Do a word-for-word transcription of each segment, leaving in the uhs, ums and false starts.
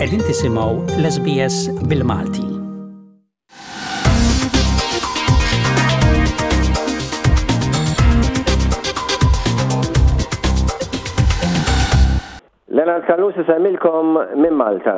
Qegħdin tisimgħu l-S B S bil-Malti. Leonard Callus isellmilkom minn Malta.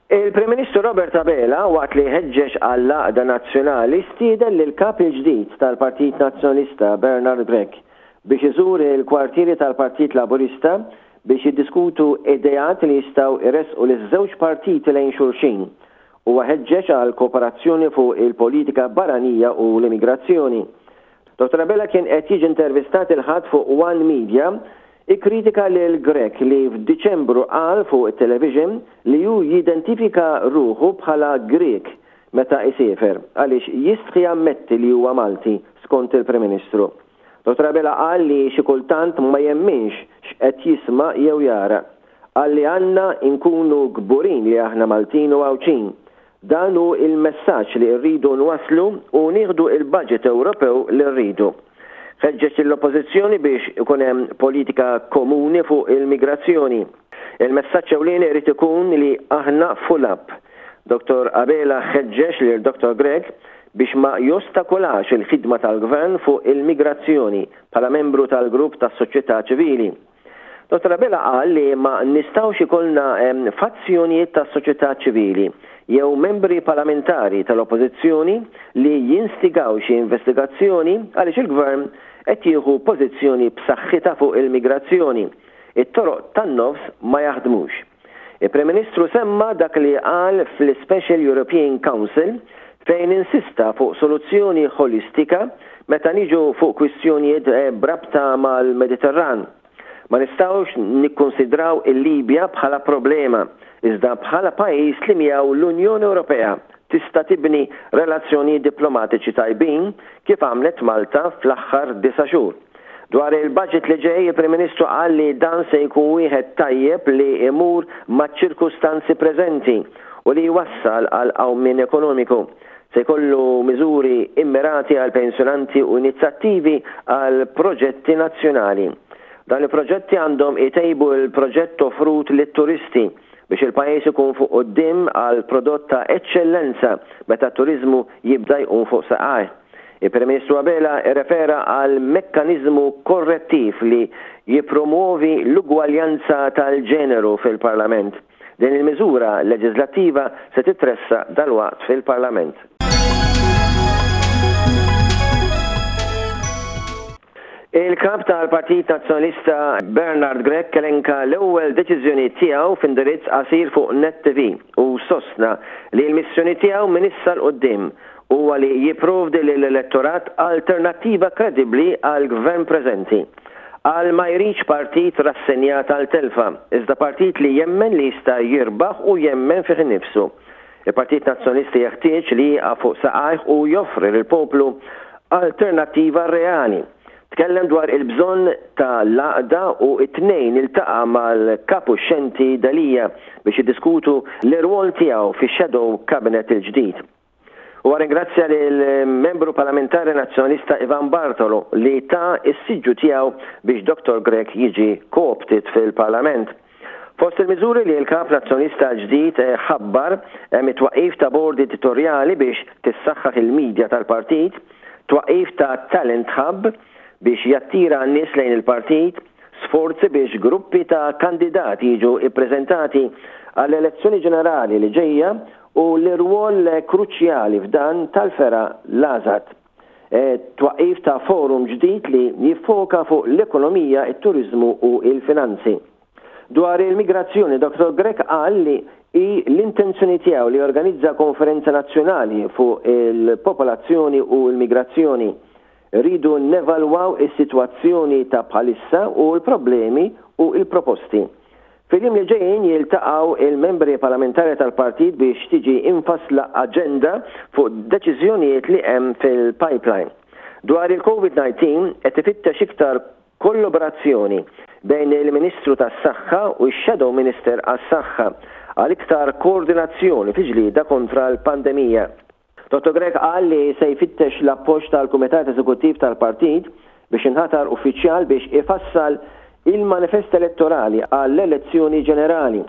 Il-Prim Ministru Robert Abela, waqt li ħeġġeġ għall-għaqda nazzjonali, stieden lil kap il-ġdid tal-Partit Nazzjonalista Bernard Grech biex iżur il-kwartieri tal-Partit Laburista biex jiddiskutu ideat li jistgħu jressqu liż-żewġ partiti lejn xulxin. Huwa ħeġġeġ għal kooperazzjoni fuq il-politika barranija u l-immigrazzjoni. Dottor Abela kien qed jiġi intervistat il-Ħadd fuq One Media. Ikkritika lil Grech li f'Diċembru qal fuq it-television li hu jidentifika ruħu bħala Grek meta isiefer għaliex jistħi jammetti li huwa Malti, skont il-Prim Ministru. Dottor Abela qal li xi kultant ma jemminx x'qed jisma' jew jara. Qal li għandna nkunu kburin li aħna Maltin u Għawdxin. Dan hu il-messaġġ li rridu nwaslu u nieħdu il-budget Ewropew li rridu. Ħeġġeġ l-oppożizzjoni biex ikun hemm politika komuni fuq il-migrazzjoni. Il-messaġġ ewlieni irid ikun li aħna full up. Dottor Abela ħeġġeġ lil Dottor Grech biex ma jostakolax il-ħidma tal-gvern fuq il-migrazzjoni bħala membru tal-grupp tas-soċjetà ċivili. Dottor Abela qal li ma nistgħux ikollna fazzjonijiet tas-soċjetà ċivili jew membri parlamentari tal-oppożizzjoni li jinstigaw xi investigazzjoni għaliex il-gvern qed jieħu pożizzjoni b'saħħitha fuq il-migrazzjoni. It-toroq tan-nofs ma jaħdmux. Il-Prim Ministru semma dak li qal fl-Special European Council, fejn insista fuq soluzzjoni holistika meta niġu fuq kwistjonijiet eh, b'rabta mal-Mediterran. Ma nistgħux nikkonsidraw il-Libja bħala problema, iżda bħala pajjiż li miegħu l-Unjoni Ewropea tista' tibni relazzjoni diplomatiċi tajbin, kif għamlet Malta fl-aħħar disa' xhur. Dwar il-budget li ġej, il-Prim Ministru qal li dan se jkun wieħed tajjeb li imur maċ-ċirkustanzi preżenti u li jwassal għal qawmien ekonomiku. Se jkollu miżuri immirati għal pensjonanti u inizjattivi għal proġetti nazzjonali. Dan il-proġetti għandhom itejbu il-proġett offrut lit-turisti biex il-pajjiż ikun fuq quddiem għal prodott ta' eċċellenza meta t-turizmu jibda jqum fuq saqajh. Il-Prim Ministru Abela refera għal mekkaniżmu korrettiv li jipromuovi l-ugwaljanza tal-ġeneru fil-Parlament. Din il-miżura leġislattiva se titressaq dalwaqt fil-Parlament. Il-kap tal-Partit Nazzjonalista Bernard Grech elenka l-ewwel deċiżjoni tiegħu f'indirizz qasir fuq Net T V u sostna li l-missjoni tiegħu minn issa 'l quddiem huwa li jipprovdi lill-elettorat alternattiva kredibbli għal gvern preżenti. Qal ma jridx partit rassenjat għal telfa, iżda partit li jemmen li jista' jirbaħ u jemmen fih innifsu. Il-Partit Nazzjonalista jeħtieġ li jieqaf fuq saqajh u joffri lill-poplu alternattiva reali. Tkellem dwar il-bżonn ta' l-għaqda u it-Tnejn iltaqa' mal-kap uxxenti Delia biex jiddiskutu l-irwol tiegħu fix-Shadow Cabinet il-ġdid. U ringrazzja lill-membru parlamentari nazzjonalista Ivan Bartolo li ta s-siġġu tiegħu biex Dottor Grech jiġi co-opted fil-Parlament. Fost il-miżuri li l-kap nazzjonalista ġdid ħabbar hemm it-twaqif ta' bord editorjali biex tissaħħaħ il-medja tal-partit, twaqif ta' Talent Hub biex jattira n-nies lejn il-partit, sforzi biex gruppi ta' kandidati jiġu ippreżentati għall-elezzjoni ġenerali li ġejja u l-irwol kruċjali f'dan tal-fergħa l-AŻAD. E, twaqif ta' forum ġdid li jiffoka fuq l-ekonomija, it-turizmu u il-finanzi. Dwar il-migrazzjoni, Dottor Grech qal li hi l-intenzjoni tiegħu li jorganizza konferenza nazzjonali fuq il-popolazzjoni u l-migrazzjoni. Rridu nevalwaw is-sitwazzjoni ta' bħalissa u l-problemi u l-proposti. Fil-jiem li ġejjin jiltaqgħu il-membri parlamentari tal-partit biex tiġi infassla aġenda fuq deċiżjonijiet li hemm fil-pipeline. Dwar il-COVID nineteen, qed ifittex iktar kollaborazzjoni bejn il-Ministru tas-Saħħa u x-Shadow Minister għas-Saħħa għal iktar koordinazzjoni fi ġlieda kontra l-pandemija. Dottor Grech qal li se jfittex l-appoġġ tal-Kumitat Eżekuttiv tal-Partit biex inħatar uffiċjal biex ifassal il-manifest elettorali għall-elezzjoni ġenerali.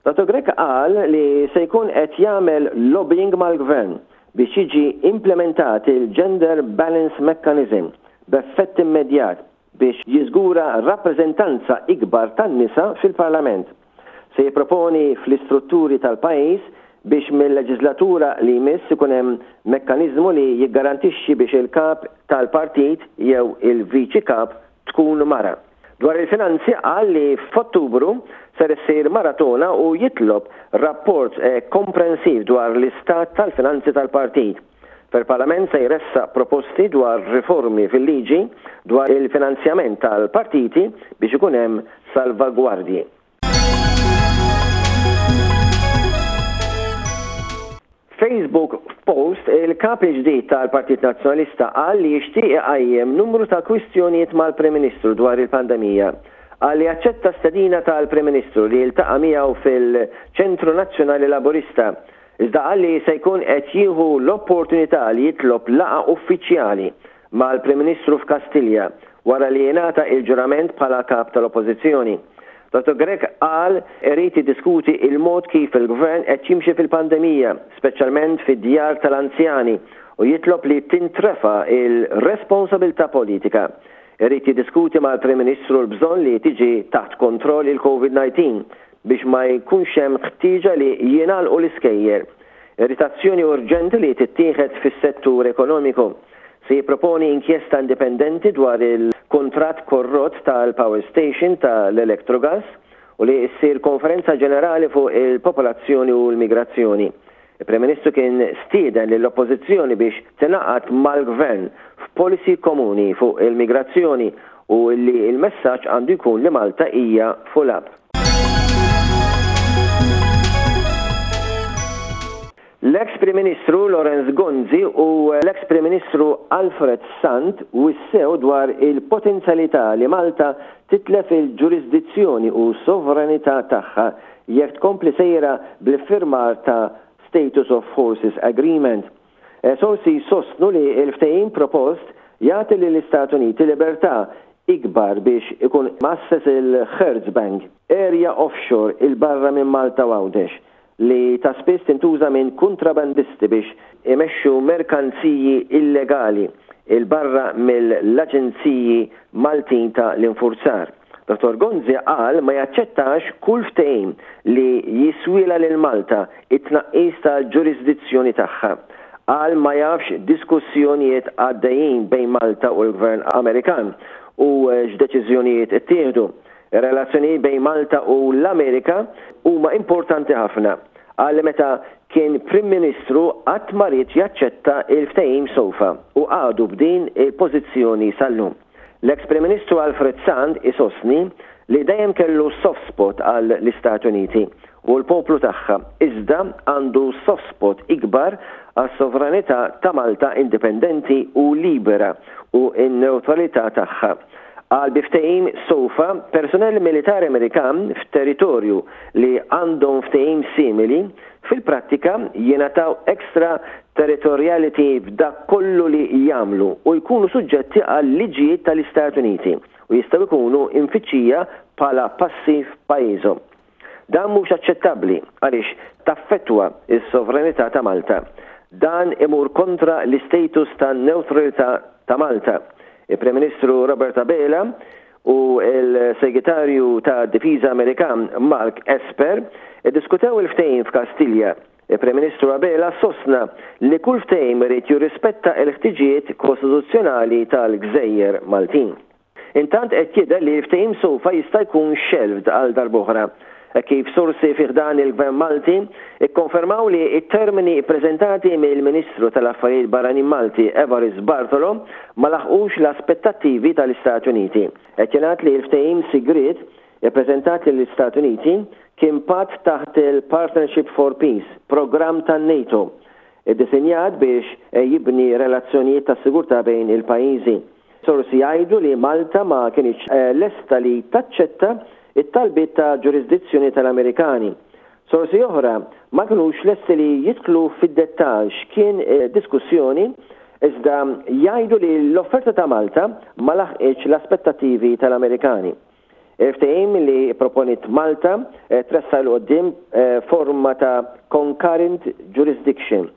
Dottor Grech qal li se jkun qed jagħmel lobbying mal-gvern biex jiġi implementat il-Gender Balance Mechanism b'effett immedjat biex jiżgura rappreżentanza ikbar tan-nisa fil-Parlament. Se jipproponi fl-istrutturi tal-pajjiż biex mill-leġislatura li jmiss ikun hemm mekkaniżmu li jiggarantixxi biex il-kap tal-partit jew il-viċi kap tkun mara. Dwar il-finanzi qal li f'Ottubru ser issir maratona u jitlob rapport komprensiv dwar l-istat tal-finanzi tal-partit. Fil-Parlament se jressaq proposti dwar riformi fil-liġi dwar il-finanzjament tal-partiti biex ikun hemm salvagwardji. Facebook post, il-kap il-ġdid tal-Partit Nazzjonalista qal li jixtieq iqajjem numru ta' kwistjonijiet mal-Prim Ministru dwar il-pandemija. Qal li aċċetta stedina tal-Prim Ministru li jiltaqa' miegħu fil-Ċentru Nazzjonali Laburista. Iżda qal li se jkun qed jieħu l-opportunità li jitlob laqgħa uffiċjali mal-Prim Ministru f'Kastilja wara li jingħata il-ġurament bħala kap tal-Oppożizzjoni. Dottor Grech qal irid jiddiskuti il-mod kif il-gvern qed jimxi fil-pandemija, speċjalment fid-djar tal-anzjani, u jitlob li tintrefa il-responsabilità politika. Irid jiddiskuti mal-Prim Ministru l-bżonn li tiġi taħt kontroll il-Covid nineteen biex ma jkunx hemm ħtieġa li jingħalqu l-iskejjer. Irid azzjoni urġenti li tittieħed fis-settur ekonomiku. Se jipproponi inkjesta indipendenti dwar il-kuntratt korrott tal-Power Station tal-Electrogas u li ssir konferenza ġenerali fuq il-popolazzjoni u l-migrazzjoni. Il-Prim Ministru kien stieden lill-Oppożizzjoni biex tingħaqad mal-Gvern f'policy komuni fuq il-migrazzjoni u li l-messaġġ għandu jkun li Malta hija full up. L-ex Prim Ministru Lawrence Gonzi u l-ex Prim Ministru Alfred Sant wissew dwar il-potenzjalità li Malta titlef il-ġurisdizzjoni u sovranità tagħha jekk tkompli sejra bl-iffirmar ta' Status of Forces Agreement. Sorsi sostnu li l-ftehim propost jagħti lill-Istati Uniti libertà ikbar biex ikun masses il-Hertz Bank, area offshore il-barra minn Malta u Għawdex, li ta' spiss tintuża minn kontrabandisti biex imexxu merkanziji illegali il-barra mill-aġenziji Maltin ta' l-infurzar. Dottor Gonzi qal ma jaċċettax kull ftehim li jiswila lil Malta it-tnaqqis tal-ġurisdizzjoni tagħha. Qal ma jafx diskussjonijiet għaddejjin bejn Malta u l-Gvern Amerikan u x'deċiżjonijiet ittieħdu. Ir-relazzjonijiet bejn Malta u l-Amerika huma importanti ħafna. Qal li meta kien Prim Ministru qatt ma ried jaċċetta il-ftehim sofa u għadu b'din il-pożizzjoni sal-lum. L-ex Prim Ministru Alfred Sant isostni li dejjem kellu soft spot għal l-Istati Uniti u l-poplu tagħha, iżda għandu soft spot ikbar għas-sovranità ta' Malta indipendenti u libera u n-neutralità tagħha. Għal bi ftehim sofa, personell militari Amerikan f'territorju li għandhom ftehim simili fil-prattika jingħataw extra territoriality f'dak kollu li jagħmlu u jkunu suġġetti għal liġijiet tal-Istati Uniti u jistgħu jkunu imfittxija bħala passi f'pajjiżhom. Dan mhux aċċettabbli għaliex taffettwa s-sovranità ta' Malta. Dan imur kontra l-istatus ta' neutralità ta' Malta. Il-Prim Ministru Robert Abela u l-Segretarju ta' Difiża Amerikan Mark Esper iddiskutew il-ftehim f'Kastilja. Il-Prim Ministru Abela sostna li kull ftehim irid jirrispetta l-ħtiġijiet kostituzzjonali tal-Gżejjer Maltin. Intant qed jidher li l-ftehim sofa jista' jkun shelved għal darb'oħra, kif sorsi fi ħdan il-Gvern Malti ikkonfermaw li t-termini ppreżentati mill-Ministru tal-Affarijiet Barranin Malti Evarist Bartolo ma laħqux l-aspettattivi tal-Istati Uniti. Qed jingħad li l-ftehim sigriet ippreżentat lill-Istati Uniti kien patt taħt il-Partnership for Peace, programm tan-NATO, iddisinjat biex jibni relazzjonijiet ta' sigurtà bejn il-pajjiżi. Sorsi jgħidu li Malta ma kienx lesta li taċċetta it-talbiet ta' ġurisdizzjoni tal-Amerikani. Sorsi oħra ma kinux lesti li jidħlu fid-dettall x'kien diskussjoni, iżda jgħidu li l-offerta ta' Malta ma laħqitx l-aspettattivi tal-Amerikani. Il-ftehim li proponiet Malta tressaq 'il quddiem forma ta' concurrent jurisdiction,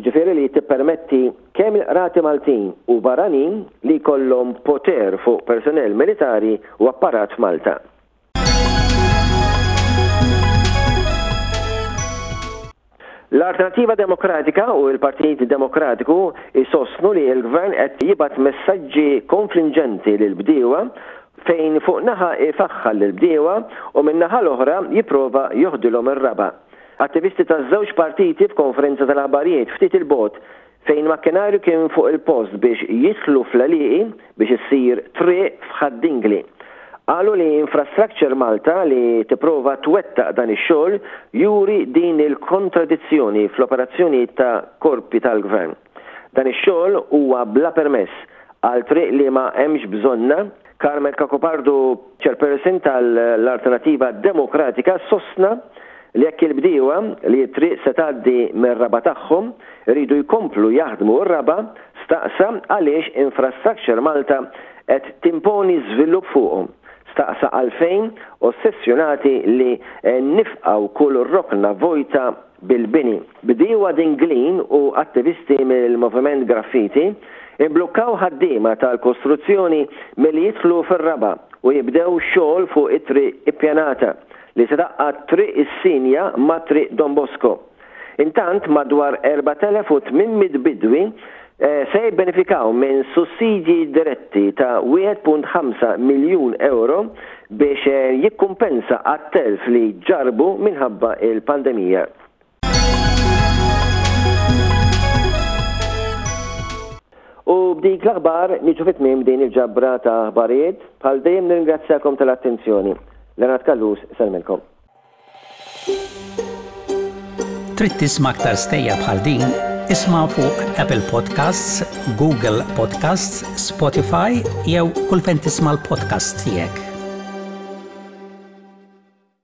ġifieri li tippermetti kemm il-qrati Maltin u barranin li jkollhom poter fuq personnel militari u apparat f'Malta. L-Alternattiva Demokratika u l-Partit Demokratiku jsostnu li l-Gvern qed jibgħat messaġġi konfliġġenti lill-bdiewa fejn fuq naħa ifaħħar lill-bdiewa u min-naħa l-oħra jipprova joħdilhom ir-raba'. Attivisti taż-żewġ partiti f'konferenza tal-aħbarijiet ftit 'il bogħod fejn makkinarju kien fuq il-post biex jidħlu fl-għelieqi biex issir triq f'Ħad-Dingli. Qalu li Infrastructure Malta li tipprova twettaq dan ix-xogħol juri din il-kontradizzjoni fl-operazzjonijiet ta' korpi tal-Gvern. Dan ix-xogħol huwa bla permess għal triq li ma hemmx bżonnha. Carmel Cacopardo, chairperson tal-Alternativa Demokratika, sostna li jekk il-bdiewa li t-triq se tgħaddi mir-raba' tagħhom iridu jkomplu jaħdmu r-raba', staqsa għaliex Infrastructure Malta qed timponi żvilupp fuqhom. Staqsa għalfejn ossessjonati li nifqgħu kull rokna vojta bil-bini. Bdiewa Dinglin u attivisti mill-Moviment Graffiti imblukkaw ħaddiema tal-kostruzzjoni milli jidħlu fir-raba' u jibdew xogħol fuq it-triq ippjanata li se tgħaqqad Triq is-Sinja ma' Triq Don Bosco. Intant madwar erbat elef u tmien mitt bidwi se jibbenefikaw minn sussidji diretti ta' wieħed punt ħamsa miljun ewro biex jikkumpensa għat-telf li ġarrbu minħabba l-pandemija. U b'dik l-aħbar niġu fi tmiem din il-ġabra ta' aħbarijiet. Bħal dejjem nirringrazzjakom tal-attenzjoni. Leonard Callus, sellmilkom. Trid tisma' aktar stejjer bħal din? Isma' fuq Apple Podcasts, Google Podcasts, Spotify jew kull fejn tisma' l-podcasts tiegħek.